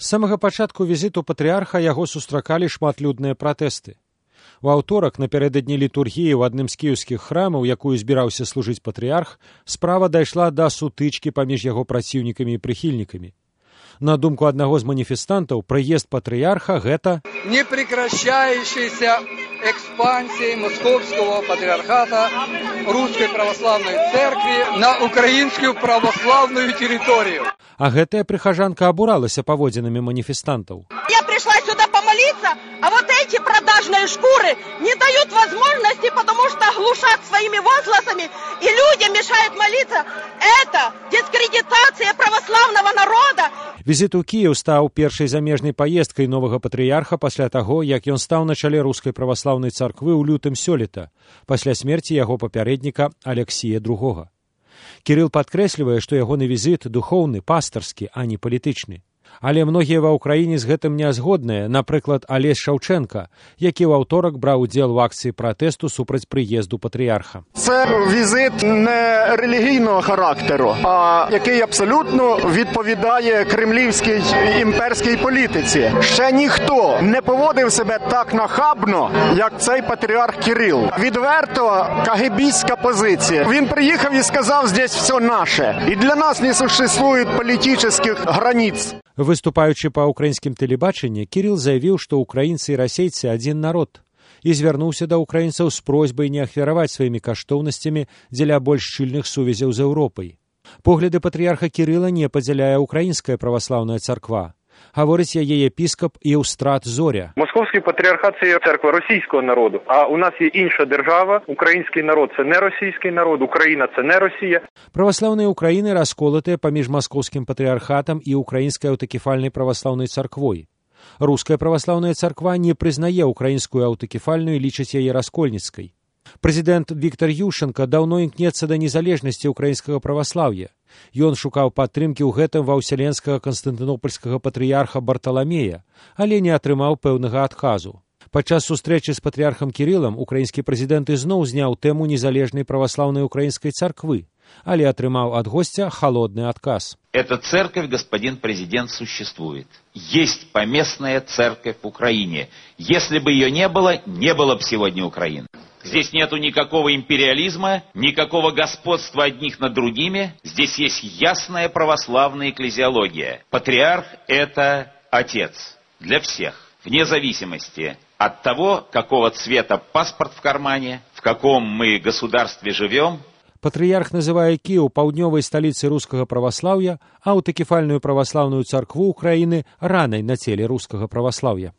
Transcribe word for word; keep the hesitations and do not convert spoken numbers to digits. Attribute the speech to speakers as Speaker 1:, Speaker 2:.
Speaker 1: З самага пачатку візіту патрыарха яго сустракалі шматлюдныя пратэсты. У аўторак, напярэдадні літургіі ў адным з кіеўскіх храмаў, якую збіраўся служыць патрыарх, справа дайшла да сутычкі паміж яго праціўнікамі і прыхільнікамі. На думку аднаго з маніфестантаў, прыезд патрыарха – гэта
Speaker 2: непрекращающаяся экспансия Московского патриархата Русской Православной Церкви на украинскую православную территорию.
Speaker 1: А гэтая прыхажанка абуралася паводзінамі маніфестантаў.
Speaker 3: Я пришла сюда помолиться, а вот эти продажные шкуры не дают возможности, потому что глушат своими возгласами, и людям мешают молиться. Это дискредитация православного народа.
Speaker 1: Візіт у Кіеў стаў першай замежнай паездкай новага патрыярха пасля таго, як ён стаў на чале Рускай праваслаўнай царквы ў лютым сёлета, пасля смерці яго папярэдніка Алексія другога. Кірыл падкрэслівае, што ягоны візіт духоўны, пастарскі, а не палітычны. Але многія ва ўкраіне з гэтым не згодныя, напрыклад, Алесь Шаўчэнка, які ў аўторак браў удзел у акцыі пратэсту супраць прыезду патрыярха.
Speaker 4: Це візит не релігійного характеру, а який абсолютно відповідає кремлівській імперській політиці. Ще ніхто не поводив себе так нахабно, як цей патріарх Кирил. Відверто кагебістська позиція. Він приїхав і сказав, здесь все наше. І для нас не существует політичних границ.
Speaker 1: Выступаючы па ўкраінскім тэлебачанні, Кірыл заявіў, што ўкраінцы і расейцы адзін народ, і звярнуўся да ўкраінцаў з просьбай не ахвяраваць сваімі каштоўнасцямі дзеля больш шчыльных сувязяў з Еўропай. Погляды патрыярха Кірыла не падзяляе ўкраінская праваслаўная царква. Говорить яє єпіскоп Євстрат Зоря.
Speaker 5: Московський патріархат – це церква російського народу, а у нас є інша держава. Український народ – це не російський народ, Україна – це не Росія.
Speaker 1: Православные Украины расколотые поміж Московским патриархатом и Украинской аутокефальной православной церквой. Русская православная церква не признае украинскую аутокефальную и лічыць яе раскольніцкай. Прэзідэнт Віктор Ющенко даўно імкнецца да незалежнасці украінскага праваслаўя. Ён шукаў падтрымкі ў гэтым ва ўселенскага канстантынопольскага патрыярха Барталамея, але не атрымаў пэўнага адказу. Падчас сустрэчы з патрыярхам Кірылам украінскі прэзідэнт ізноў зняў тэму незалежнай праваслаўнай украінскай царквы, але атрымаў ад госця халодны адказ.
Speaker 6: Эта церковь, господин президент, существует. Есть поместная церковь в Украине. Если бы ее не было, не было бы сегодня Украины. Здесь нету никакого империализма, никакого господства одних над другими. Здесь есть ясная православная экклезиология. Патриарх – это отец для всех, вне зависимости от того, какого цвета паспорт в кармане, в каком мы государстве живем.
Speaker 1: Патрыярх называе Кіеў паўднёвай сталіцай рускага праваслаўя, а аўтакефальную праваслаўную царкву Украіны ранай на целе рускага праваслаўя.